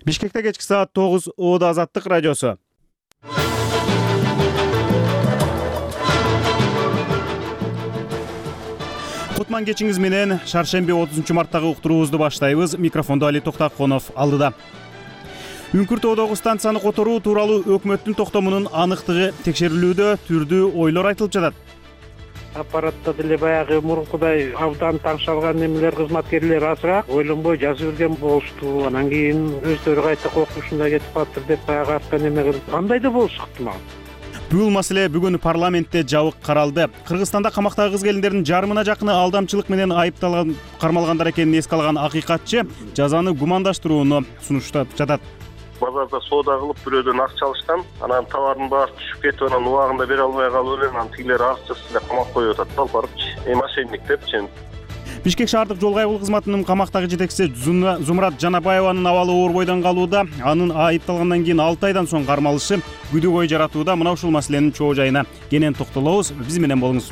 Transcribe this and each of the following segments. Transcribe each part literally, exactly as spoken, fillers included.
Бишкекте кечки саат тогуз Ода Азаттык радиосу. Кутман кечиңиз менен шаршемби отузунчу марттагы уктуруубузду баштайбыз. Микрофондо Али Токтаконов алдыда. Үңкүр тоодогу станцияны которуу тууралуу өкмөттүн токтомунун аныктыгы текшерилүүдө, түрдүү ойлор айтылып жатат. Аппаратта деле баягы мурункудай абдан таңшалган немелер кызматкерлер азыраак ойлонбой жазып берген болушту. Анан кийин өздөрү кайта коркунучунда кетип калыптыр деп баягы артка неме кылып андай да болушу ыктымал. Бул маселе бүгүн парламентте жабык каралды. Кыргызстанда камактагы кыз келиндердин жарымына жакыны алдамчылык менен айыпталган, кармалгандар экенин эске алган акыйкатчы жазаны гумандаштырууну сунуштап жатат. Базарда соода кылып бирөөдөн акча алышкан, анан товардын баасы түшүп кетип, анан убагында бере албай калып эле, анан тигилер арызчасын деп камап коюп атат да, алып барыпчы. Эми мошенник депчи. Бишкек шаардык жол кайгылуу кызматынын камактагы жетекчиси Зумрат Жанабаеванын абалы оор бойдон калууда. Анын айыпталгандан кийин алты айдан соң кармалышы күдүк ой жаратууда. Мына ушул маселенин чоо жайына кенен токтолобуз. Биз менен болуңуз.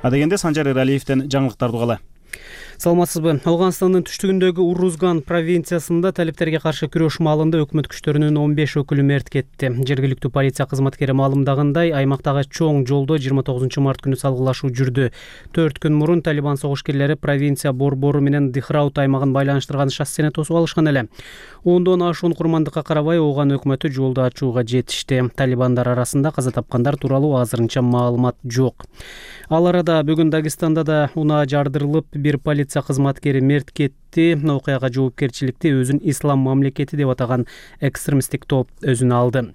Адегенде Санжар Эралиевден жаңылыктарды угалы. Саламатсызбы? Ауганстандын түштүгүндөгү Урузган провинциясында талептерге каршы күрөш маалында өкмөт күчтөрүнүн он беш өкүлү мерт кетти. Жергиликтүү полиция кызматкери маалымдагандай, аймактагы чоң жолдо жыйырма тогузунчу март күнү салгылашуу жүрдү. төрт күн мурун Талибан согушкерлери провинция борбору менен Дихраут аймагын байланыштырган шоссени тосуп алышкан эле. Ондон ашуун курмандыкка карабай, Ооган өкмөтү жолду ачууга жетишти. Талибандар арасында каза тапкандар тууралуу азырынча маалымат жок. Ал арада бүгүн Дагестанда да унаа жардырылып, бир полиция кызматкери мерт кетти. Окуяга жоопкерчиликти өзүн ислам мамлекети деп атаган экстремисттик топ өзүнө алды.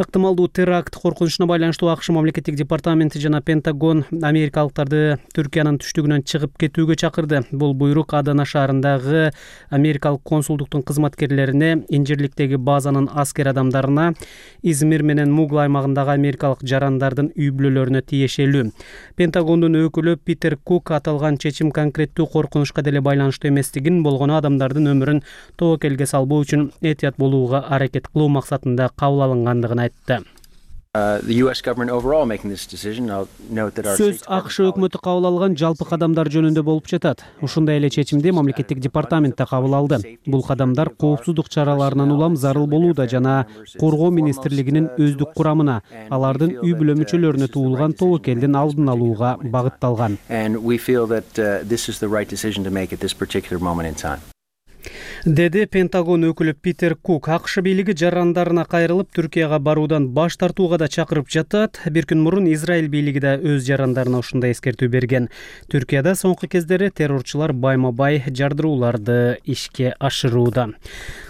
Ыктымалдуу теракт коркунучуна байланыштуу АКШ мамлекеттик департаменти жана Пентагон америкалыктарды Түркиянын түштүгүнөн чыгып кетүүгө чакырды. Бул буйрук Адана шаарындагы америкалык консулдуктун кызматкерлерине, Инжирликтеги базанын аскер адамдарына, Измир менен Мугла аймагындагы америкалык жарандардын үй бүлөлөрүнө тиешелүү. Пентагондун өкүлү Питер Кук аталган чечим конкреттүү коркунучка деле байланыштуу эместигин, болгону адамдардын өмүрүн тобокелге салбоо үчүн этият болууга аракет кылуу максатында кабыл алынгандыгын айтты. Сөз АКШ өкмөтү кабыл алган жалпы кадамдар жөнүндө болуп жатат. Ушундай эле чечимди мамлекеттик департамент да кабыл алды. Бул кадамдар коопсуздук чараларынан улам зарыл болууда жана Коргоо министрлигинин өздүк курамына, алардын үй бүлө мүчөлөрүнө туулган тобокелдин алдын алууга багытталган. Деди Пентагон өкүлү Питер Кук. АКШ бийлиги жарандарына кайрылып, Түркияга баруудан баш тартууга да чакырып жатат. Бир күн мурун Израиль бийлиги да өз жарандарына ушундай эскертүү берген. Түркияда соңку кездери террорчулар байма-бай жардырууларды ишке ашырууда.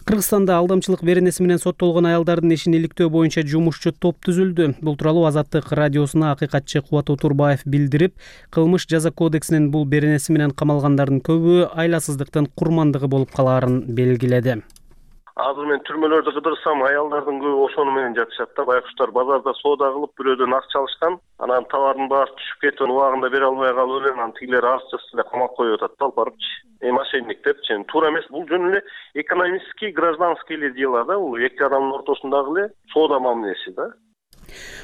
Кыргызстанда алдамчылык беренеси менен соттолгон аялдардын ишин иликтөө боюнча жумушчу топ түзүлдү. Бул тууралуу Азаттык радиосуна акыйкатчы Кубат Отурбаев билдирип, кылмыш жаза кодексинин бул беренеси менен камалгандардын көбү айласыздыктын курмандыгы болуп калаарын белгиледи. Азыр мен түрмөлөрдү кыдырсам, аялдардын көбү ошону менен жатышат да, байкуштар базарда соода кылып бирөөдөн акча алышкан, анан товардын баасы түшүп кетип, убагында бере албай калып эле, анан тигилер арызчасын деп камап коюп атат да, алып барыпчы. Эми мошенник депчи. Туура эмес, бул жөн эле экономический, гражданский эле дела да, бул эки адамдын ортосундагы эле соода мамилеси да.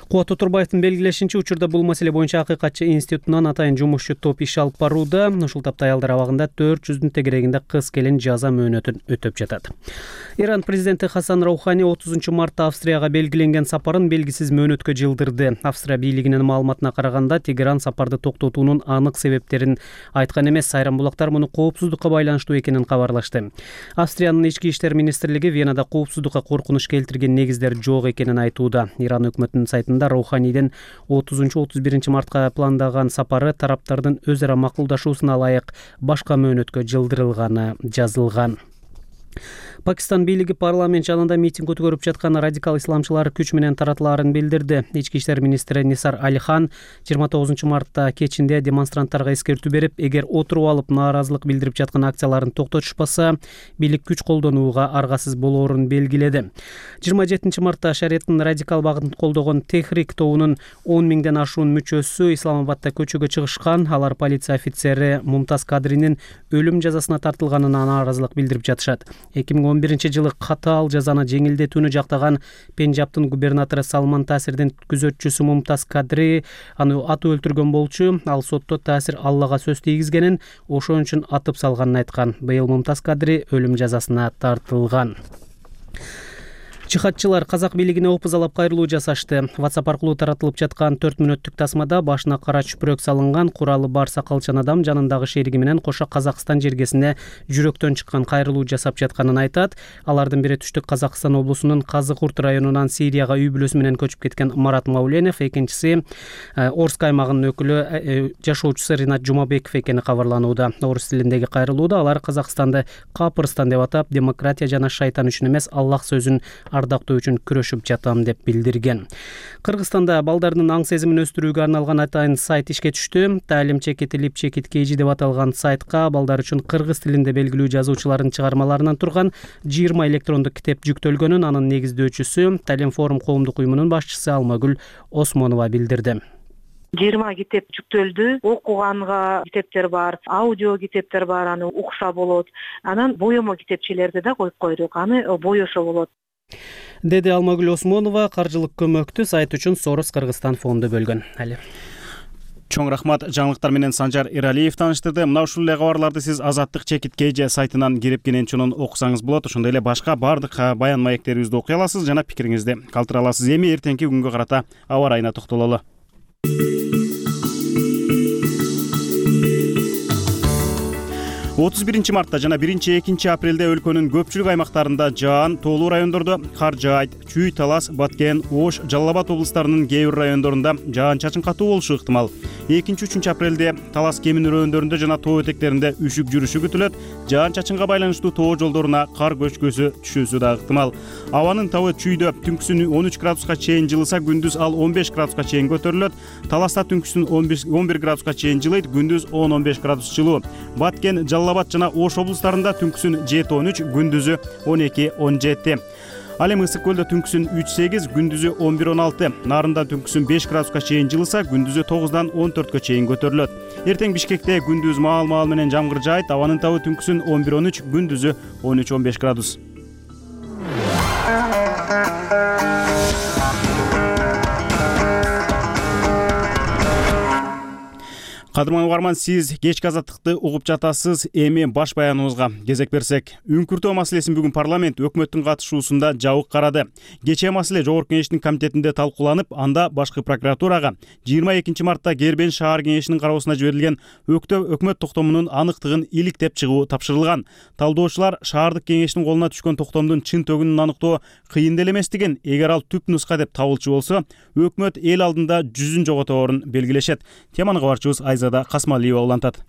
Кубат Отурбаевдин белгилешинче, учурда бул маселе боюнча акыйкатчы институтунан атайын жумушчу топ иш алып барууда. Ушул тапта аялдар абагында төрт жүздүн тегерегинде кыз келин жаза мөөнөтүн өтөп жатат. Иран президенти Хасан Роухани отузунчу мартта Австрияга белгиленген сапарын белгисиз мөөнөткө жылдырды. Австрия бийлигинин маалыматына караганда, Тегеран сапарды токтотуунун анык себептерин айткан эмес, айрым булактар муну коопсуздукка байланыштуу экенин кабарлашты. Австриянын ички иштер министрлиги Венада коопсуздукка коркунуч келтирген негиздер жок экенин айтууда. Иран өкмөтүнүн сайтында Роуханиден отузунчу отуз биринчи мартка пландаган сапары тараптардын өз ара макулдашуусуна ылайык башка мөөнөткө жылдырылганы жазылган. Пакистан бийлиги парламент жанында митинг өткөрүп жаткан радикал исламчылар күч менен таратылаарын билдирди. Ички иштер министри Нисар Алихан жыйырма тогузунчу мартта кечинде демонстранттарга эскертүү берип, эгер отуруп алып нааразылык билдирип жаткан акцияларын токтотушпаса, бийлик күч колдонууга аргасыз болоорун белгиледи. жыйырма жетинчи мартта шариаттын радикал багытын колдогон Техрик тобунун он миңден ашуун мүчөсү Исламабадда көчөгө чыгышкан. Алар полиция офицери Мумтаз Кадринин өлүм жазасына тартылганына нааразылык билдирип жатышат. эки миң он биринчи жылы катаал жазаны жеңилдетүүнү жактаган Пенджабтын губернатору Салман Таасирдин күзөтчүсү Мумтаз Кадри аны атып өлтүргөн болчу. Ал сотто Таасир Аллага сөз тийгизгенин, ошон үчүн атып салганын айткан. Быйыл Мумтаз Кадри өлүм жазасына тартылган. Чыхатчылар казак бийлигине опузалап кайрылуу жасашты. WhatsApp аркылуу таратылып жаткан төрт мүнөттүк тасмада башына кара чүпүрөк салынган куралы бар сакалчан адам жанындагы шериги менен кошо Казакстан жергесине жүрөктөн чыккан кайрылуу жасап жатканын айтат. Алардын бири түштүк Казакстан облусунун Казыкурт районунан Сирияга үй бүлөсү менен көчүп кеткен Марат Мауленов, экинчиси Орск аймагынын өкүлү жашоочусу Ринат Жумабеков экени кабарланууда. Орус тилиндеги кайрылууда алар Казакстанды Капырстан деп атап, демократия жана шайтан үчүн эмес, Аллах сөзүн ардактоо үчүн күрөшүп жатам деп билдирген. Кыргызстанда балдардын аң сезимин өстүрүүгө арналган атайын сайт ишке түштү. Таалим чекитилип чекит кейжи деп аталган сайтка балдар үчүн кыргыз тилинде белгилүү жазуучулардын чыгармаларынан турган жыйырма электрондук китеп жүктөлгөнүн анын негиздөөчүсү Талим форум коомдук уюмунун башчысы Алмагүл Осмонова билдирди. жыйырма китеп жүктөлдү. Окуганга китептер бар, аудио китептер бар, аны укса болот. Анан боёмо китепчелерди да коюп койдук, аны боёсо болот, деди Алмагүл Осмонова. Каржылык көмөктү сайт үчүн Сорос Кыргызстан фонду бөлгөн. Али. Чоң рахмат. Жаңылыктар менен Санжар Эралиев тааныштырды. Мына ушул эле кабарларды сиз Азаттык чекит кейжи сайтынан кирип кененчунун окусаңыз болот. Ошондой эле башка бардык баян маектерибизди окуй аласыз жана пикириңизди калтыра аласыз. Эми эртеңки күнгө карата аба ырайына токтололу. отуз биринчи мартта жана биринчи экинчи апрелде өлкөнүн көпчүлүк аймактарында жаан, тоолуу райондордо кар жаайт. Чүй, Талас, Баткен, Ош, Жалал Абад облустарынын кээ бир райондорунда жаан-чачын катуу болушу ыктымал. экинчи үчүнчү апрелде Талас Кемин райондорунда жана тоо этектеринде үшүк жүрүшү күтүлөт. Жаан-чачынга байланыштуу тоо жолдоруна кар көчкөсү түшүүсү да ыктымал. Абанын табы Чүйдө түнкүсүн он үч градуска чейин жылыса, күндүз ал он беш градуска чейин көтөрүлөт. Таласта түнкүсүн он бир градуска чейин жылыйт, күндүз он он беш градус жылуу. Баткен, Жалал Абад жана Ош облустарында түнкүсүн жети он үч, күндүзү он эки он жети. Ал эми Ысык көлдө түнкүсүн үч сегиз, күндүзү он бир он алты. Нарында түнкүсүн беш градуска чейин жылыса, күндүзү тогуздан он төрткө чейин көтөрүлөт. Эртең Бишкекте күндүз маал-маал менен жамгыр жаайт. Абанын табы түнкүсүн он бир он үч, күндүзү он үч он беш градус. Кадырман угарман, сиз кечки Азаттыкты угуп жатасыз. Эми баш баяныбызга кезек берсек, үңкүртөө маселесин бүгүн парламент өкмөттүн катышуусунда жабык карады. Кечээ маселе Жогорку Кеңештин комитетинде талкууланып, анда башкы прокуратурага жыйырма экинчи мартта Кербен шаар кеңешинин кароосуна жиберилген өкмөт токтомунун аныктыгын иликтеп чыгуу тапшырылган. Талдоочулар шаардык кеңештин колуна түшкөн токтомдун чын төгүнүн аныктоо кыйын деле эместигин, эгер ал түп нуска деп табылчу болсо, өкмөт эл алдында жүзүн жоготоборун белгилешет. Теманы кабарчыбыз Айзада Касмалиева улантат.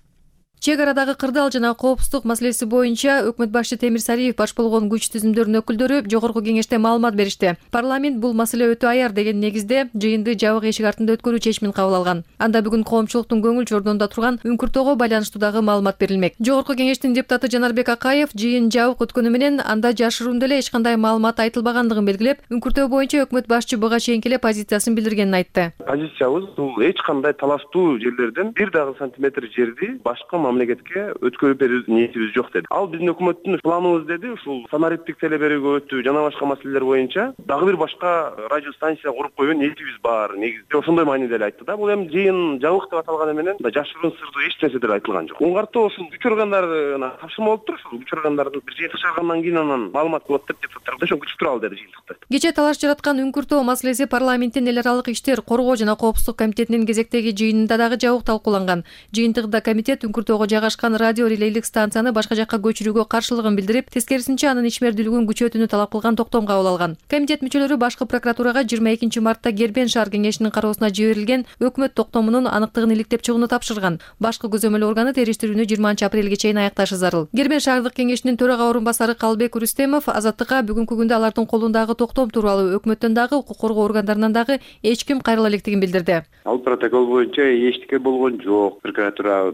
Чек арадагы кырдаал жана коопсуздук маселеси боюнча өкмөт башчы Темир Сариев баш болгон күч түзүмдөрүнүн өкүлдөрү Жогорку Кеңеште маалымат беришти. Парламент бул маселе өтө аяр деген негизде жыйынды жабык эшик артында өткөрүү чечимин кабыл алган. Анда бүгүн коомчулуктун көңүл чордонунда турган үңкүртөөгө байланыштуу дагы маалымат берилмек. Жогорку Кеңештин депутаты Жанарбек Акаев жыйын жабык өткөнү менен анда жашыруунда эле эч кандай маалымат айтылбагандыгын белгилеп, үңкүртөө боюнча өкмөт башчы буга чейинки эле позициясын билдиргенин айтты. Позициябыз бул эч кандай талаштуу жерлерден бир дагы сантиметр жерди башка мамлекетке өткөрүп берүү ниетибиз жок деди. Ал биздин өкмөттүн планыбыз деди. Ушул санариптик телеберүүгө жана башка маселелер боюнча дагы бир башка радио станция куруп коюу ниетибиз бар. Негизде ошондой мааниде эле айтты да. Бул эми жыйын жабык деп аталганы менен жашыруун сырдуу эч нерсе деле айтылган жок. Оңгартуу ушул күч органдарына тапшырма болуп туруп, ушул күч органдардын бир жыйынтык чыгаргандан кийин анан маалымат болот деп депутаттар ошо күчүп туралы деди жыйынтыкта. Кечээ талаш жараткан үңкүртөө маселеси парламенттин эл аралык иштер, коргоо жана коопсуздук комитетинин кезектеги жыйынында дагы жабык талкууланган. Жыйынтыгында комитет үңкүртөөгө жайгашкан радио релейлик станцияны башка жакка көчүрүүгө каршылыгын билдирип, тескерисинче анын ишмердүүлүгүн күчөтүүнү талап кылган токтом кабыл алган. Комитет мүчөлөрү башкы прокуратурага жыйырма экинчи мартта Кербен шаар кеңешинин кароосуна жиберилген өкмөт токтомунун аныктыгын иликтеп чыгууну тапшырган. Башкы көзөмөл органы териштирүүнү жыйырманчы апрелге чейин аякташы зарыл. Кербен шаардык кеңешинин төрага орун басары Калбек Рүстемов Азаттыкка бүгүнкү күндө алардын колундагы токтом тууралуу өкмөттөн дагы укук коргоо органдарынан дагы эч ким кайрыла электигин билдирди. Ал протокол боюнча эчтеке болгон жок. Прокуратура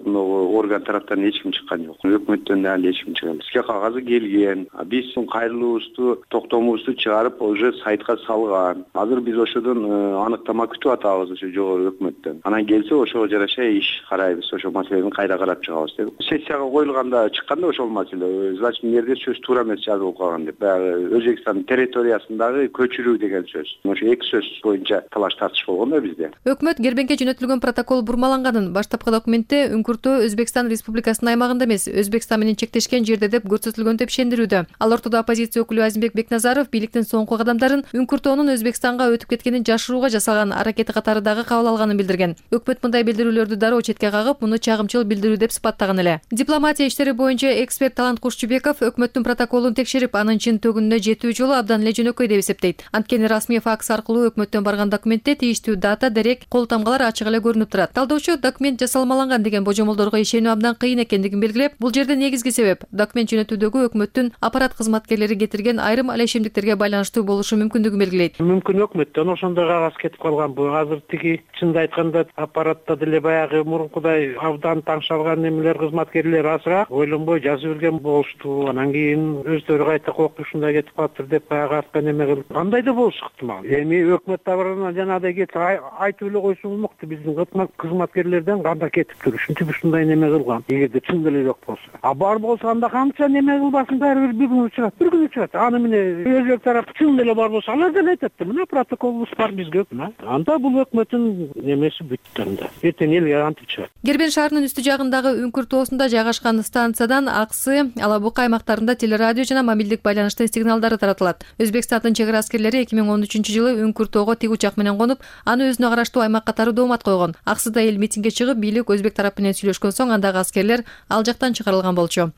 орган тараптан эч ким чыккан жок. Өкмөттөн дагы эч ким чыккан. Бизге кагазы келген. Биз кайрылуубузду, токтомубузду чыгарып уже сайтка салган. Азыр биз ошодон аныктама күтүп атабыз ошо жогору өкмөттөн. Анан келсе ошого жараша иш карайбыз, ошо маселени кайра карап чыгабыз деп. Сессияга коюлганда чыкканда ошол маселе, значит, мэрде сөз туура эмес жазылып калган деп. Баягы Өзбекстан территориясындагы көчүрүү деген сөз. Ошо эки сөз боюнча талаш тартыш болгон да бизде. Өкмөт Гербенке жөнөтүлгөн протокол бурмаланганын, баштапкы документте Үңкүртөө Өзбекстан Республикасынын аймагында эмес, Өзбекстан менен чектешкен жерде деп көрсөтүлгөн деп ишендирүүдө. Ал ортодо оппозиция өкүлү Азимбек Бекназаров бийликтин соңку кадамдарын Үңкүртөөнүн Өзбекстанга өтүп кеткенин жашырууга жасалган аракети катары дагы кабыл алганын билдирген. Өкмөт мындай билдирүүлөрдү дароо четке кагып, муну чагымчыл билдирүү деп сыпаттаган эле. Дипломатия иштери боюнча эксперт Талант Кушчубеков өкмөттүн протоколун текшерип, анын чын төгүнүнө жетүү жолу абдан эле жөнөкөй деп эсептейт. Анткени расмий факс аркылуу өкмөттөн барган документте тийиштүү дата, дерек, кол тамгалар ачык эле көрүнүп турат. Талдоочу документ жасалмаланган деген божомолдорго ишенүү абдан кыйын экендигин белгилеп, бул жерде негизги себеп документ жөнөтүүдөгү өкмөттүн аппарат кызматкерлери кетирген айрым алешемдиктерге байланыштуу болушу мүмкүндүгүн белгилейт. Мүмкүн өкмөттөн ошондой кагаз кетип калган. Бул азыр тиги чынды айтканда аппаратта деле баягы мурункудай абдан таңшалган немелер, кызматкерлер азыраак ойлонбой жазып берген болушту. Анан кийин өздөрү кайта коюп ушундай кетип калыптыр деп баягы артка неме кылып. Андай да болушу ыктымал. Эми өкмөт табарынан жанагыдай кетип айтып эле койсо болмокто. Биздин кызматкерлерден кандай кетиптир, ушинтип ушундай неме кылган. Эгерде чын эле жок болсо. А бар болсо анда канча неме кылбасын, баары бир күн чыгат, бир күн чыгат. Аны менен өзбек тарап чын эле бар болсо, алар деле айтат да, мына протоколубуз бар бизге. Анда бул өкмөттүн немеси бүттү анда. Эртең элге антип чыгат. Гербен шаарынын үстү жагындагы Үңкүртөосунда жайгашкан станциядан Аксы, Ала Бука аймактарында телерадио жана мобилдик байланыштын сигналдары таратылат. Өзбекстандын чек ара аскерлери эки миң он үчүнчү жылы Үңкүртөөгө тик учак менен конуп, аны өзүнө караштуу аймак катары доомат койгон. Аксыда эл митингге чыгып, бийлик өзбек тарап менен сүйлөшкөн соң андагы аскерлер ал жактан чыгарылган болчу.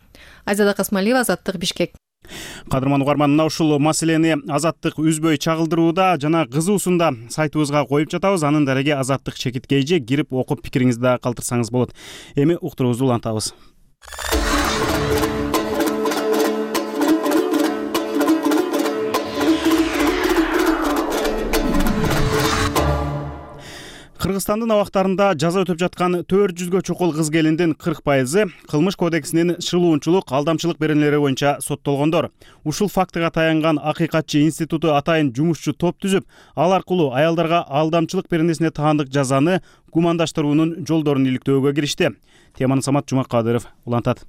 Айзада Касмалиева, Азаттык, Бишкек. Кадырман угарман, мына ушул маселени Азаттык үзбөй чагылдырууда жана кызуусунда сайтыбызга коюп жатабыз. Анын дареги Азаттык чекиткейже, кирип окуп пикириңизди да калтырсаңыз болот. Эми уктуруубузду улантабыз. Кыргызстандын абактарында жаза өтөп жаткан төрт жүзгө чукул кыз келиндин кырк пайызы кылмыш кодексинин шылуунчулук, алдамчылык беренелери боюнча соттолгондор. Ушул фактыга таянган Акыйкатчы институту атайын жумушчу топ түзүп, ал аркылуу аялдарга алдамчылык беренесине таандык жазаны гумандаштыруунун жолдорун иликтөөгө киришти. Теманы Самат Жумакадыров улантат.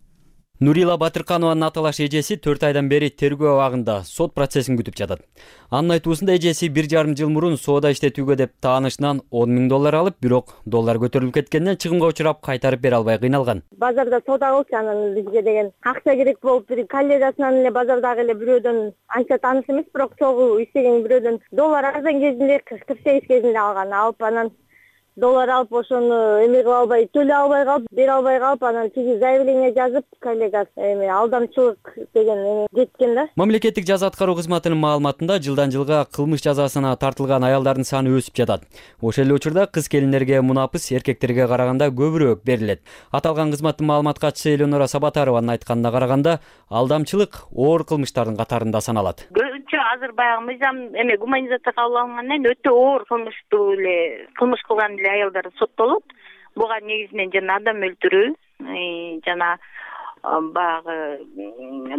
Нурила Батырканованын аталаш эжеси төрт айдан бери тергөө абагында сот процессин күтүп жатат. Анын айтуусунда эжеси бир жарым жыл мурун соода иштетүүгө деп таанышынан он миң доллар алып, бирок доллар көтөрүлүп кеткенден чыгымга учурап кайтарып бере албай кыйналган. Базарда соода кылчу, анан бизге деген акча керек болуп, бир коллегасынан эле базардагы эле бирөөдөн анча тааныш эмес, бирок чогуу иштеген бирөөдөн доллар арзан кезинде кырк сегиз кезинде алган. Алып анан доллар алып ошону эме кыла албай, төлөй албай калып, бере албай калып, анан тиги заявление жазып, коллегасы эме алдамчылык деген эме кеткен да. Мамлекеттик жаза аткаруу кызматынын маалыматында жылдан жылга кылмыш жазасына тартылган аялдардын саны өсүп жатат. Ошол эле учурда кыз келиндерге мунапыс эркектерге караганда көбүрөөк берилет. Аталган кызматтын маалымат катчысы Элеонора Сабатарованын айтканына караганда, алдамчылык оор кылмыштардын катарында саналат. Көбүнчө азыр баягы мыйзам эме гуманизация кабыл алынгандан кийин өтө оор кылмыштуу эле кылмыш кылган аялдар соттолот. Буга негизинен жана адам өлтүрүү, жана баягы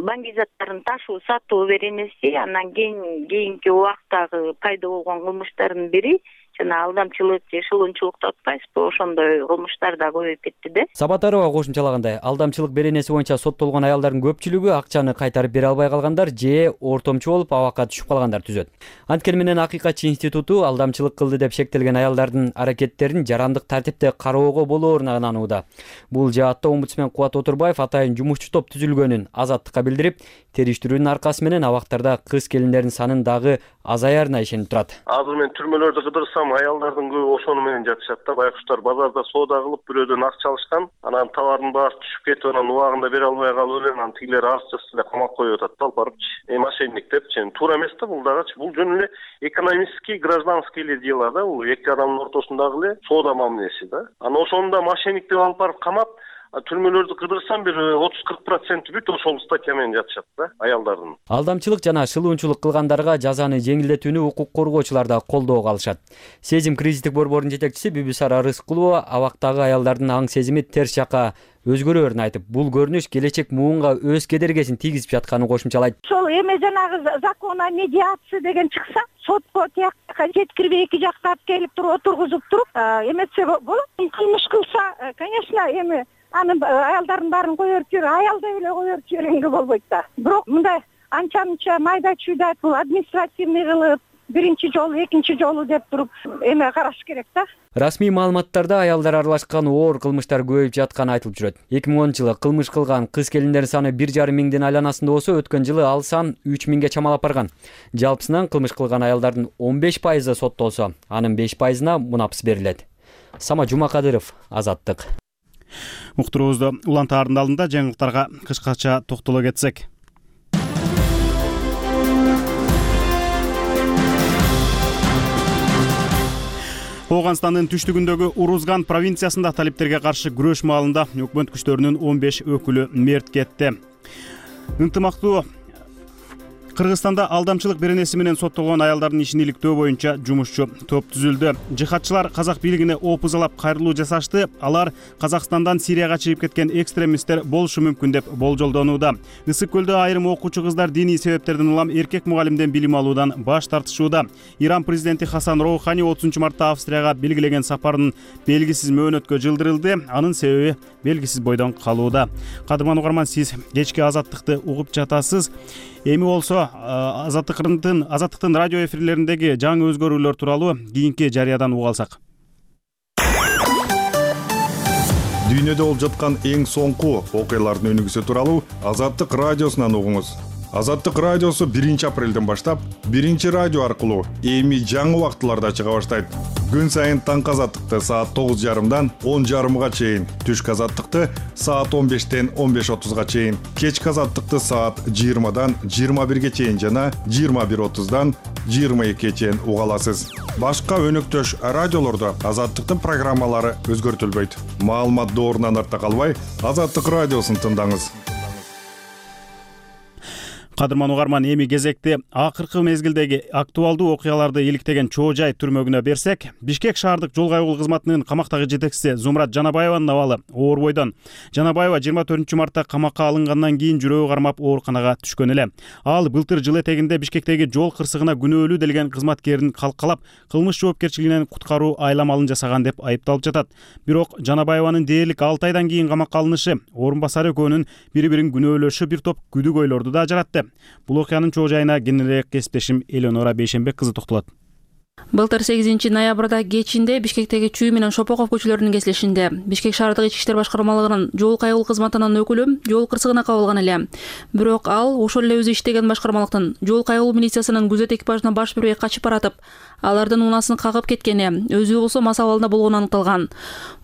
баңги заттарын ташуу, сатуу беренеси, анан кийин кийинки убактагы пайда болгон кылмыштардын бири жана алдамчылык же шылуунчулукту атпайсызбы, ошондой кылмыштар да көбөйүп кетти да. Сабатарова кошумчалагандай, алдамчылык беренеси боюнча соттолгон аялдардын көпчүлүгү акчаны кайтарып бере албай калгандар же ортомчу болуп абакка түшүп калгандар түзөт. Анткени менен Акыйкатчы институту алдамчылык кылды деп шектелген аялдардын аракеттерин жарандык тартипте кароого болоорун ынанууда. Бул жаатта омбудсмен Кубат Отурбаев атайын жумушчу топ түзүлгөнүн Азаттыкка билдирип, териштирүүнүн аркасы менен абактарда кыз келиндердин санын дагы азаярына ишенип турат. Азыр мен түрмөлөрдү кыдырсам, аялдардын көбү ошону менен жатышат да. Байкуштар базарда соода кылып, бирөөдөн акча алышкан, анан товардын баасы түшүп кетип, анан убагында бере албай калып эле, анан тигилер арызчасы эле камап коюп атат да, алып барыпчы. Э мошенник депчи. Туура эмес да бул дагычы. Бул жөн эле экономический, гражданский эле дела да, бул эки адамдын ортосундагы эле соода мамилеси да. Анан ошону да мошенник деп алып барып камап, түрмөлөрдү кыдырсам бир отуз кырк процент бүт ошол статья менен жатышат да аялдардын. Алдамчылык жана шылуунчулук кылгандарга жазаны жеңилдетүүнү укук коргоочулар да колдоого алышат. Сезим кризистик борборунун жетекчиси Бүбүсара Рыскулова абактагы аялдардын аң сезими терс жакка өзгөрөөрүн айтып, бул көрүнүш келечек муунга өз кедергесин тийгизип жатканын кошумчалайт. Ошол эме жанагы закон о медиации деген чыкса, сотко тияка жеткирбей эки жакка алып келип туруп отургузуп туруп эметсе болот. Кылмыш кылса, конечно, эми анын аялдардын баарын коёруп жибер, аял деп эле коёруп жибергенге болбойт да. Бирок мындай анча-мынча майда-чүйда бул административный кылып, биринчи жолу, экинчи жолу деп туруп эме караш керек да. Расмий маалыматтарда аялдар аралашкан оор кылмыштар көбөйүп жатканы айтылып жүрөт. эки миң онунчу жылы кылмыш кылган кыз келиндердин саны бир жарым миңдин айланасында болсо, өткөн жылы ал сан үч миңге чамалап барган. Жалпысынан кылмыш кылган аялдардын он беш пайызы соттолсо, анын беш пайызына мунапс берилет. Сама Жумакадыров, Азаттык. Уктуруубузду улантаардын алдында жаңылыктарга кыскача токтоло кетсек. Ооганстандын түштүгүндөгү Урузган провинциясында талиптерге каршы күрөш маалында өкмөт күчтөрүнүн он беш өкүлү мерт кетти. Ынтымактуу Кыргызстанда алдамчылык беренеси менен соттолгон аялдардын ишин иликтөө боюнча жумушчу топ түзүлдү. Жихадчылар казак бийлигине опузалап кайрылуу жасашты. Алар Казакстандан Сирияга чыгып кеткен экстремисттер болушу мүмкүн деп болжолдонууда. Ысык көлдө айрым окуучу кыздар диний себептерден улам эркек мугалимден билим алуудан баш тартышууда. Иран президенти Хасан Роухани отузунчу мартта Австрияга белгилеген сапарынын белгисиз мөөнөткө жылдырылды. Анын себеби белгисиз бойдон калууда. Кадырман угарман, сиз кечки Азаттыкты угуп жатасыз. Эми болсо Азаттыктын Азаттыктын радио эфирлериндеги жаңы өзгөрүүлөр тууралуу кийинки жарыядан уга алсак. Дүйнөдө болуп жаткан эң соңку окуялардын өнүгүүсү тууралуу Азаттык радиосунан угуңуз. Азаттык радиосу биринчи апрелден баштап биринчи радио аркылуу эми жаңы убактыларда чыга баштайт. Күн сайын таңкы Азаттыкты саат тогуз жарымдан он жарымга чейин, түшкү Азаттыкты саат он бештен он беш отузга чейин, кечки Азаттыкты саат жыйырмадан жыйырма бирге чейин жана жыйырма бир отуздан жыйырма экиге чейин уга аласыз. Башка өнөктөш радиолордо Азаттыктын программалары өзгөртүлбөйт. Маалымат доорунан артта калбай, Азаттык радиосун тыңдаңыз. Кадырман угарман, эми кезекти акыркы мезгилдеги актуалдуу окуяларды иликтеген Чоо Жай түрмөгүнө берсек, Бишкек шаардык жол кайгыл кызматынын камактагы жетекчиси Зумрат Жанабаеванын абалы оор бойдон. Жанабаева жыйырма төртүнчү мартта камакка алынгандан кийин жүрөгү кармап ооруканага түшкөн эле. Ал былтыр жыл этегинде Бишкектеги жол кырсыгына күнөөлүү делген кызматкерин калкалап, кылмыш жоопкерчилигинен куткаруу айламалын жасаган деп айыпталып жатат. Бирок Жанабаеванын дээрлик алты айдан кийин камакка алынышы орун басары экөөнүн бири-бирин күнөөлөшү бир топ күдүгөйлөрдү да жаратты. Бул окуянын чоо жайына кененирээк кесиптешим Элеонора Бейшенбек кызы токтолот. Былтыр сегизинчи ноябрда кечинде Бишкектеги Чүй менен Шопоков көчөлөрүнүн кесилишинде Бишкек шаардык ички иштер башкармалыгынын жол кайгыл кызматынын өкүлү жол кырсыгына кабылган эле. Бирок ал ошол эле өзү иштеген башкармалыктын жол кайгыл милициясынын күзөт экипажына баш бербей качып баратып, алардын унасын кагып кеткени, өзү болсо мас абалында болгону аныкталган.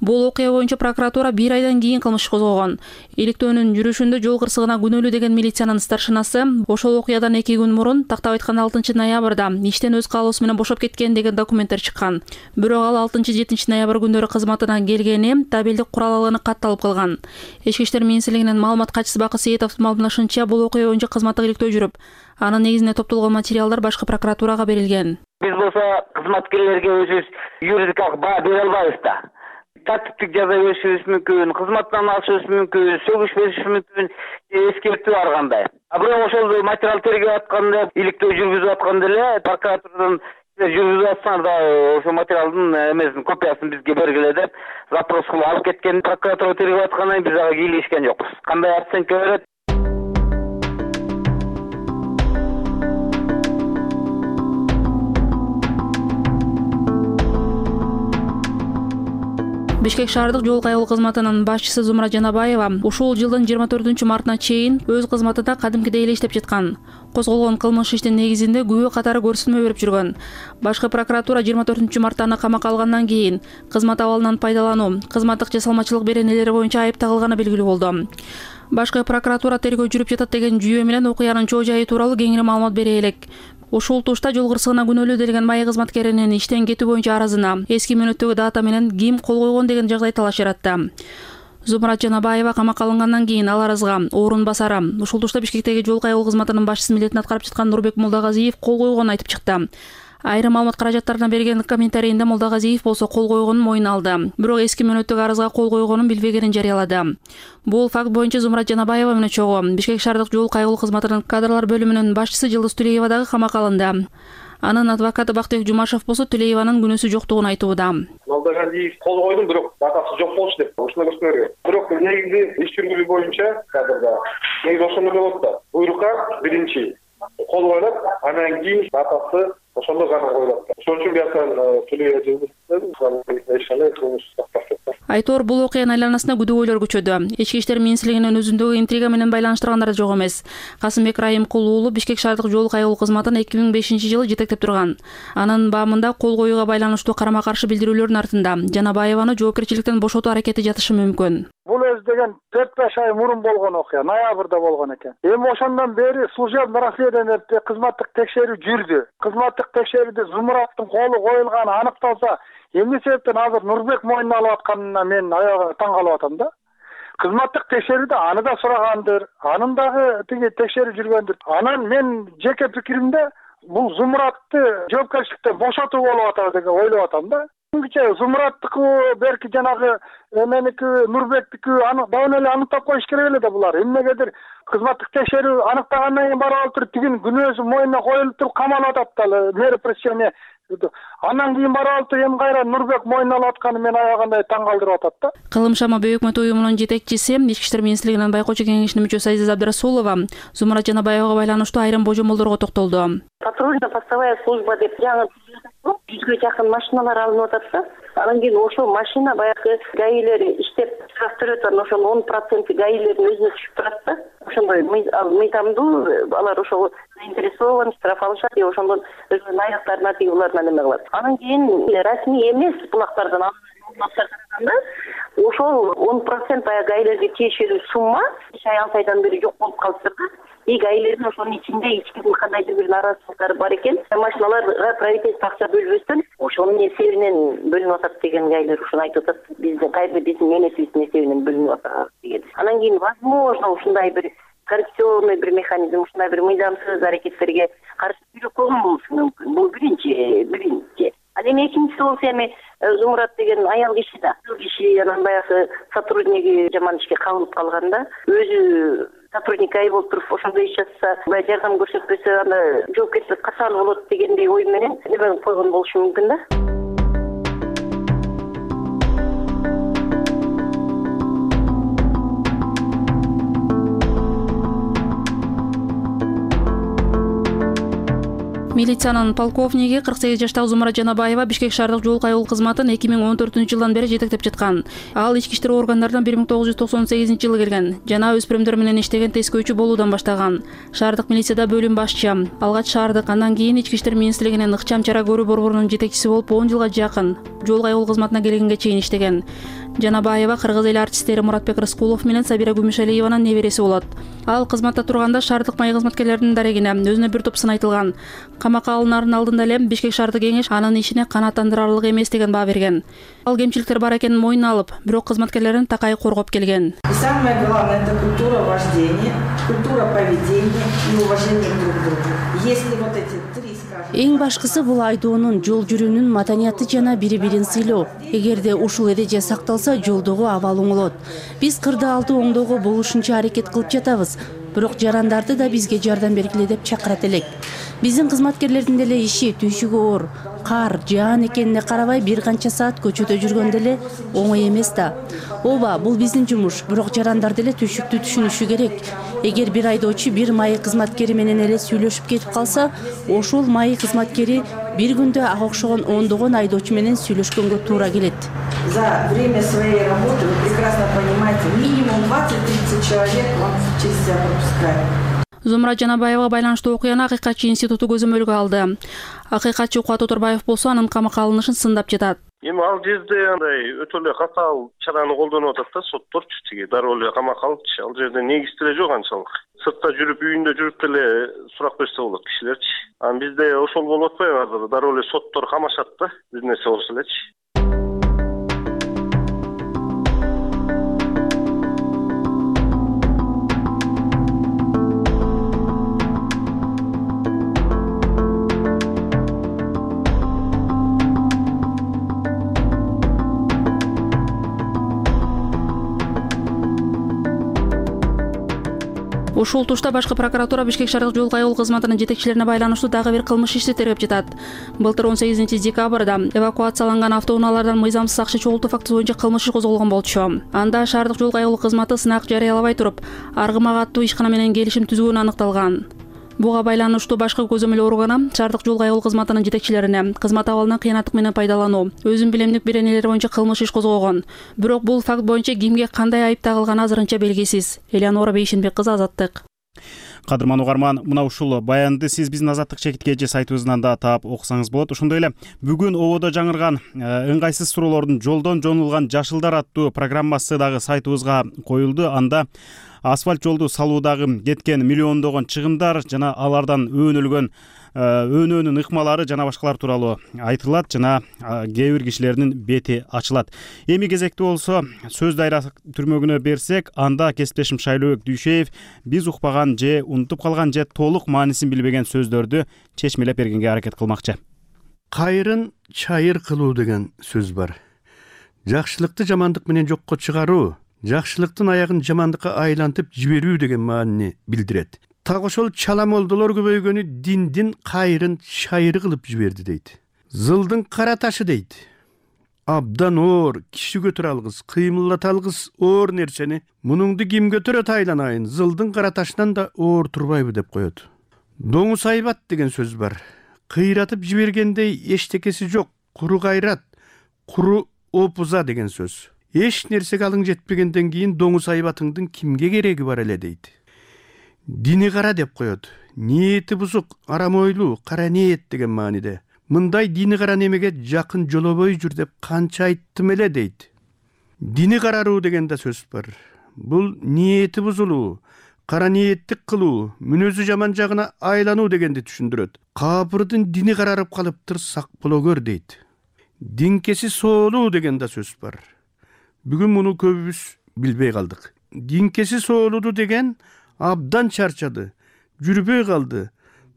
Бул окуя боюнча прокуратура бир айдан кийин кылмыш козгогон. Иликтөөнүн жүрүшүндө жол кырсыгына күнөөлүү деген милициянын старшинасы ошол окуядан эки күн мурун, тактап айтканда алтынчы ноябрда иштен өз каалоосу менен бошоп кеткен деген документтер чыккан. Бирок ал алтынчы жетинчи ноябрь күндөрү кызматына келгени табелдик курал алганы катталып калган. Ички иштер министрлигинин маалымат катчысы Бакы Сейитовдун маалымдашынча, бул окуя боюнча кызматтык иликтөө жүрүп, анын негизинде топтолгон материалдар башкы прокуратурага берилген. Биз болсо кызматкерлерге өзүбүз юридикалык баа бере албайбыз да. Тартиптик жаза беришибиз мүмкүн, кызматтан алышыбыз мүмкүн, сөгүш беришибиз мүмкүн, эскертүү ар кандай. А бирок ошол материал тергеп атканда, иликтөө жүргүзүп атканда эле прокуратурадан жүргүзүп атсаңар да ошол материалдын эмесин копиясын бизге бергиле деп запрос кылып алып кеткен. Прокуратура тергеп аткандан кийин биз ага кийлешкен жокпуз. Кандай оценка берет? Бишкек шаардык жол кайгыл кызматынын башчысы Зумрат Жанабаева ушул жылдын жыйырма төртүнчү мартына чейин өз кызматында кадимкидей эле иштеп жаткан. Козголгон кылмыш иштин негизинде күбө катары көрсөтмө берип жүргөн. Башкы прокуратура жыйырма төртүнчү мартта аны камакка алгандан кийин кызмат абалынан пайдалануу, кызматтык жасалмачылык беренелери боюнча айып тагылганы белгилүү болду. Башкы прокуратура тергөө жүрүп жатат деген жүйө менен окуянын чоо жайы тууралуу кеңири маалымат бере элек. Ушул тушта жол кырсыгына күнөөлүү делген майы кызматкеринин иштен кетүү боюнча арызына эски мөөнөттөгү дата менен ким кол койгон деген жагдай талаш жаратты. Зумрат Жанабаева камакка алынгандан кийин ал арызга орун басары, ушул тушта Бишкектеги жол кайгыл кызматынын башчысы милдетин аткарып жаткан Нурбек Мулдагазиев кол койгонун айтып чыкты. Айрым маалымат каражаттарына берген комментарийинде Молдогазиев болсо кол койгонун мойнуна алды. Бирок эски мөөнөттүк арызга кол койгонун билбегенин жарыялады. Бул факт боюнча Зумрат Жанабаева менен чогуу Бишкек шаардык жол кайгылуу кызматынын кадрлар бөлүмүнүн башчысы Жылдыз Түлеева дагы камакка алынды. Анын адвокаты Бактыбек Жумашев болсо Түлееванын күнөөсү жоктугун айтууда. Молдогазиев кол койдум, бирок датасы жок болчу деп ушуну көрсөтөргөн. Бирок негизи иш жүргүзүү боюнча кадрда негизи ошондой болот да. Буйрукка биринчи кол коюлат, анан кийин датасы ошондо гана коюлат. Ошон үчүн биякан Түлеева Айтор бул окуянын айланасында күдөгөйлөр көчөдү. Ички иштер министрлигинин өзүндөгү интрига менен байланыштыргандар жок эмес. Касымбек Райымкул уулу Бишкек шаардык жол кайгылуу кызматын эки миң бешинчи жылы жетектеп турган. Анын баамында кол коюуга байланыштуу карама-каршы билдирүүлөрдүн артында Жанабаеваны жоопкерчиликтен бошотуу аракети жатышы мүмкүн. Бул өз деген төрт беш ай мурун болгон окуя, ноябрда болгон экен. Эми ошондон бери служебный расследование кызматтык текшерүү жүрдү. Кызматтык текшерүүдө Зумураттын колу коюлганы аныкталса, эмне себептен азыр Нурбек мойнуна алып атканына мен аягы таң калып атам да. Кызматтык текшерүүдө аны да сурагандыр, анын дагы тиги текшерүү жүргөндүр. Анан мен жеке пикиримде бул Зумуратты жоопкерчиликтен бошотуу болуп атат деп ойлоп атам да. Түнкүчө Зумураттыкы, берки жанагы меники, Нурбектики аны дагы эле аныктап коюш керек эле да булар. Эмнегедир кызматтык текшерүү аныктагандан кийин барып алып туруп тигин күнөөсү мойнуна коюлуп туруп камалып атат да, мери пресечение. Андан кийин барып алып туруп эми кайра Нурбек мойнуна алып атканы мен аягандай таң калтырып атат да. Кылым шама бөйөкмөт уюмунун жетекчиси, Ички иштер министрлигинин байкоочу кеңешинин мүчөсү Азиза Абдрасулова Зумрат Жанабаевага байланыштуу айрым божомолдорго токтолду. Патрульно-постовая служба деп жаңы жүзгө жакын машиналар алынып атат да. Анан кийин ошол машина баягы гаилер иштеп чыгарып атат, ошол он процент гаилердин өзүнө түшүп турат да. Ошондой мыйзамдуу алар ошол заинтересован, штраф алышат, же ошондон өзүнүн айлыктарына тиги буларына неме кылат. Анан кийин расмий эмес булактардан алганда ошол он процент баягы гаилерге тиешелүү сумма үч ай алты айдан бери жок болуп калыптыр да. И гаилердин ошонун ичинде эч кимдин кандайдыр бир нааразычылыктары бар экен. Машиналарга правительство акча бөлбөстөн ошонун эсебинен бөлүнүп атат деген гаилер ушуну айтып атат. Биздин кайсы биздин менесибиздин эсебинен бөлүнүп атат деген. Анан кийин возможно ушундай бир коррупционный бир механизм, ушундай бир мыйзамсыз аракеттерге каршы күрөп койгон болушу мүмкүн. Бул биринчи, биринчи. Ал эми экинчиси болсо эми Зумурат деген аял киши да. Киши анан баягы сотрудниги жаман ишке кабылып калганда, өзү сотрудник ай болуп туруп ошондой иш жатса, баягы жардам көрсөтпөсө анда жоопкерчилик качан болот дегендей ой менен эме койгон болушу мүмкүн да. Милициянын полковниги кырк сегиз жаштагы Зумрат Жанабаева Бишкек шаардык жол кайгылуу кызматын эки миң он төртүнчү жылдан бери жетектеп жаткан. Ал ички иштер органдарына бир миң тогуз жүз токсон сегизинчи жылы келген. Жана өспүрүмдөр менен иштеген тескөөчү болуудан баштаган. Шаардык милицияда бөлүм башчы, алгач шаардык, андан кийин ички иштер министрлигинин ыкчам чара көрүү борборунун жетекчиси болуп он жылга жакын жол кайгылуу кызматына келгенге чейин иштеген. Жанабаева кыргыз эли артисттери Муратбек Рыскулов менен Сабира Гүмүшалиеванын небереси болот. Ал кызматта турганда шаардык май кызматкерлеринин дарегине өзүнө бир топ сын айтылган. Камакка алынаардын алдында эле Бишкек шаардык кеңеш анын ишине канааттандырарлык эмес деген баа берген. Ал кемчиликтер бар экенин мойнуна алып, бирок кызматкерлерин такай коргоп келген. Самое главное — это культура вождения, культура поведения и уважение друг к другу. Если вот эти три, скажем... Эң башкысы бул айдоонун, жол жүрүүнүн маданияты жана бири-бирин сыйлоо. Эгерде ушул эреже сакталса, жолдогу абал оңолот. Биз кырды алды оңдоого болушунча аракет кылып жатабыз. Бирок жарандарды да бизге жардам бергиле деп чакырат элек. Биздин кызматкерлердин деле иши түйшүгү оор. Кар, жаан экенине карабай бир канча саат көчөдө жүргөн деле оңой эмес да. Ооба, бул биздин жумуш, бирок жарандар деле түйшүктү түшүнүшү керек. Эгер бир айдоочу бир майы кызматкери менен эле сүйлөшүп кетип калса, ошол майы кызматкери бир күндө ага окшогон ондогон айдоочу менен сүйлөшкөнгө туура келет. За время своей работы вы прекрасно понимаете, минимум двадцать-тридцать человек вам через себя пропускают. Зумрат Жанабаевага байланыштуу окуяны Акыйкатчы институту көзөмөлгө алды. Акыйкатчы Кубат Отурбаев болсо анын камакка алынышын сындап жатат. Эми ал жерде андай өтө эле катаал чараны колдонуп атат да сотторчу, тиги дароо эле камакка алыпчы. Ал жерде негиз деле жок анчалык. Сыртта жүрүп, үйүндө жүрүп деле сурак берсе болот кишилерчи. Анан бизде ошол болуп атпайбы азыр? Дароо эле соттор камашат да, бир нерсе болсо элечи. Ушул тушта башкы прокуратура Бишкек шаардык жол кайгылуу кызматынын жетекчилерине байланыштуу дагы бир кылмыш ишти тергеп жатат. Былтыр он сегизинчи декабрда эвакуацияланган автоунаалардан мыйзамсыз акча чогултуу фактысы боюнча кылмыш иш козголгон болчу. Анда шаардык жол кайгылуу кызматы сынак жарыялабай туруп, аргымак аттуу ишкана менен келишим түзгөнү аныкталган. Буга байланыштуу башкы көзөмөл органы шаардык жол кайгылуу кызматынын жетекчилерине кызмат абалынан кыянаттык менен пайдалануу, өзүн билемдик беренелери боюнча кылмыш иш козгогон. Бирок бул факт боюнча кимге кандай айып тагылганы азырынча белгисиз. Элеонора Бейшенбек кызы, Азаттык. Кадырман угарман, мына ушул баянды сиз биздин Азаттык чекитке же сайтыбыздан да таап окусаңыз болот. Ошондой эле бүгүн ободо жаңырган ыңгайсыз суроолордун жолдон жонулган жашылдар аттуу программасы дагы сайтыбызга коюлду. Анда асфальт жолду салуудагы кеткен миллиондогон чыгымдар жана алардан өөнөлгөн өөнөөнүн ыкмалары жана башкалар тууралуу айтылат жана кээ бир кишилердин бети ачылат. Эми кезекти болсо сөз дайрасы түрмөгүнө берсек, анда кесиптешим Шайлообек Дүйшеев биз укпаган же унутуп калган же толук маанисин билбеген сөздөрдү чечмелеп бергенге аракет кылмакчы. Кайрын чайыр кылуу деген сөз бар. Жакшылыкты жамандык менен жокко чыгаруу, жакшылыктын аягын жамандыкка айлантып жиберүү деген маанини билдирет. Так ошол чала молдолор көбөйгөнү диндин кайрын чайыры кылып жиберди дейт. Зылдын кара ташы дейт. Абдан оор, киши көтөрө алгыс, кыймылдата алгыс оор нерсени мунуңду ким көтөрөт айланайын, зылдын кара ташынан да оор турбайбы деп коет. Доңуз айбат деген сөз бар. Кыйратып жибергендей эчтекеси жок, куру кайрат, куру опуза деген сөз. Эч нерсеге алың жетпегенден кийин доңуз айбатыңдын кимге кереги бар эле дейт. Дини кара деп коет. Ниети бузук, арам ойлуу, кара ниет деген мааниде. Мындай дини кара немеге жакын жолобой жүр деп канча айттым эле дейт. Дини караруу деген да сөз бар. Бул ниети бузулуу, кара ниеттик кылуу, мүнөзү жаман жагына айлануу дегенди түшүндүрөт. Капырдын дини карарып калыптыр, сак боло көр дейт. Динкеси соолуу деген да сөз бар. Бүгүн муну көбүбүз билбей калдык. Динкеси соолуду деген абдан чарчады, жүрбөй калды,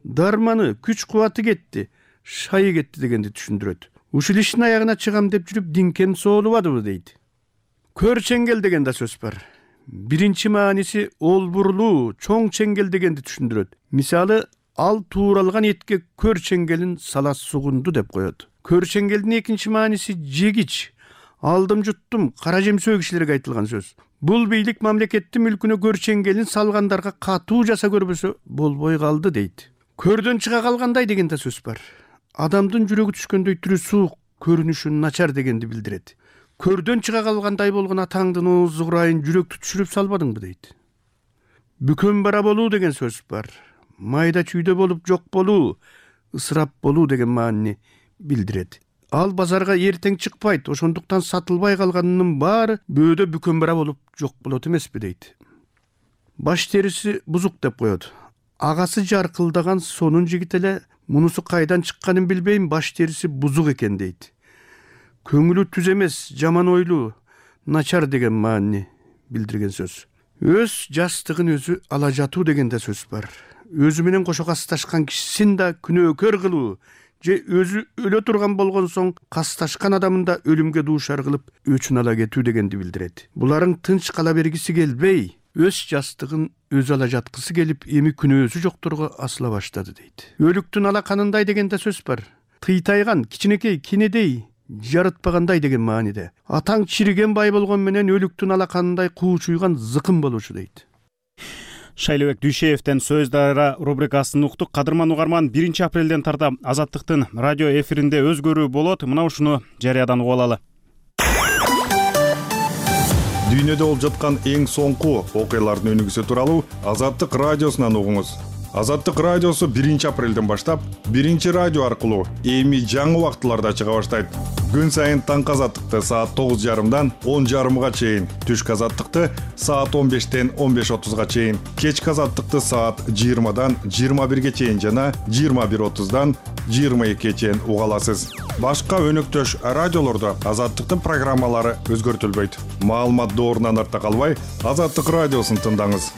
дарманы, күч кубаты кетти, шайы кетти дегенди түшүндүрөт. Ушул иштин аягына чыгам деп жүрүп динкен соолубадыбы дейт. Көр чеңгел деген да сөз бар. Биринчи мааниси олбурлуу, чоң чеңгел дегенди түшүндүрөт. Мисалы, ал тууралган этке көр чеңгелин сала сугунду деп коет. Көр чеңгелдин экинчи мааниси жегич, алдым жуттум, кара жемсөө кишилерге айтылган сөз. Бул бийлик мамлекеттин мүлкүнө көр чеңгелин салгандарга катуу жаса көрбөсө болбой калды дейт. Көрдөн чыга калгандай деген да сөз бар. Адамдын жүрөгү түшкөндөй түрү суук, көрүнүшү начар дегенди билдирет. Көрдөн чыга калгандай болгон атаңдын оозу курайын жүрөктү түшүрүп салбадыңбы дейт. Бүкөн бара болуу деген сөз бар. Майда чүйдө болуп жок болуу, ысырап болуу деген маанини билдирет. Ал базарга эртең чыкпайт, ошондуктан сатылбай калганынын баары бөөдө бүкөн бара болуп жок болот эмеспи дейт. Баш териси бузук деп коет. Агасы жаркылдаган сонун жигит эле мунусу кайдан чыкканын билбейм, баш териси бузук экен дейт. Көңүлү түз эмес, жаман ойлуу, начар деген маанини билдирген сөз. Өз жастыгын өзү ала жатуу деген да сөз бар. Өзү менен кошо касташкан кишисин да күнөөкөр кылуу, же өзү өлө турган болгон соң касташкан адамын да өлүмгө дуушар кылып өчүн ала кетүү дегенди билдирет. Буларың тынч кала бергиси келбей, өз жастыгын өзү ала жаткысы келип, эми күнөөсү жокторго асыла баштады дейт. Өлүктүн алаканындай деген да сөз бар. Тыйтайган, кичинекей, кенедей, жарытпагандай деген мааниде. Атаң чириген бай болгон менен өлүктүн алаканындай куучуйган зыкым болушу дейт. Шайлообек Дүйшеевден сөз дайра рубрикасын уктук. Кадырман угарман, биринчи апрелден тарта Азаттыктын радио эфиринде өзгөрүү болот. Мына ушуну жарыядан угуп алалы. Дүйнөдө болуп жаткан эң соңку окуялардын өнүгүүсү тууралуу Азаттык радиосунан угуңуз. Азаттык радиосу биринчи апрелден баштап биринчи радио аркылуу эми жаңы убактыларда чыга баштайт. Күн сайын таңкы Азаттыкты саат тогуз жарымдан он жарымга чейин, түшкү Азаттыкты саат он бештен он беш отузга чейин, кечки Азаттыкты саат жыйырмадан жыйырма бирге чейин жана жыйырма бир отуздан жыйырма экиге чейин уга аласыз. Башка өнөктөш радиолордо Азаттыктын программалары өзгөртүлбөйт. Маалымат доорунан артта калбай, Азаттык радиосун тыңдаңыз.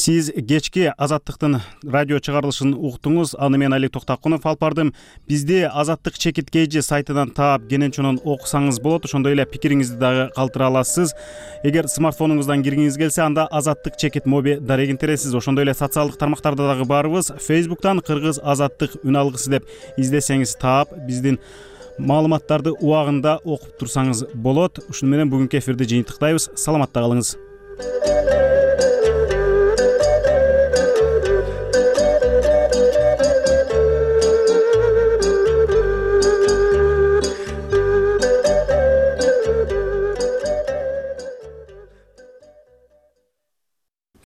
Сиз кечки Азаттыктын радио чыгарылышын уктуңуз. Аны мен Алик Токтакунов алып бардым. Бизди Азаттык чекит kg сайтынан таап, кенен окусаңыз болот. Ошондой эле пикириңизди дагы калтыра аласыз. Эгер смартфонуңуздан киргиңиз келсе, анда Азаттык чекит моби дарегин тересиз. Ошондой эле социалдык тармактарда дагы барыбыз. Facebook'тан Кыргыз Азаттык үн алгысы деп издесеңиз таап, биздин маалыматтарды убагында окуп турсаңыз болот. Ушуну менен бүгүнкү эфирди жыйынтыктайбыз. Саламатта калыңыз.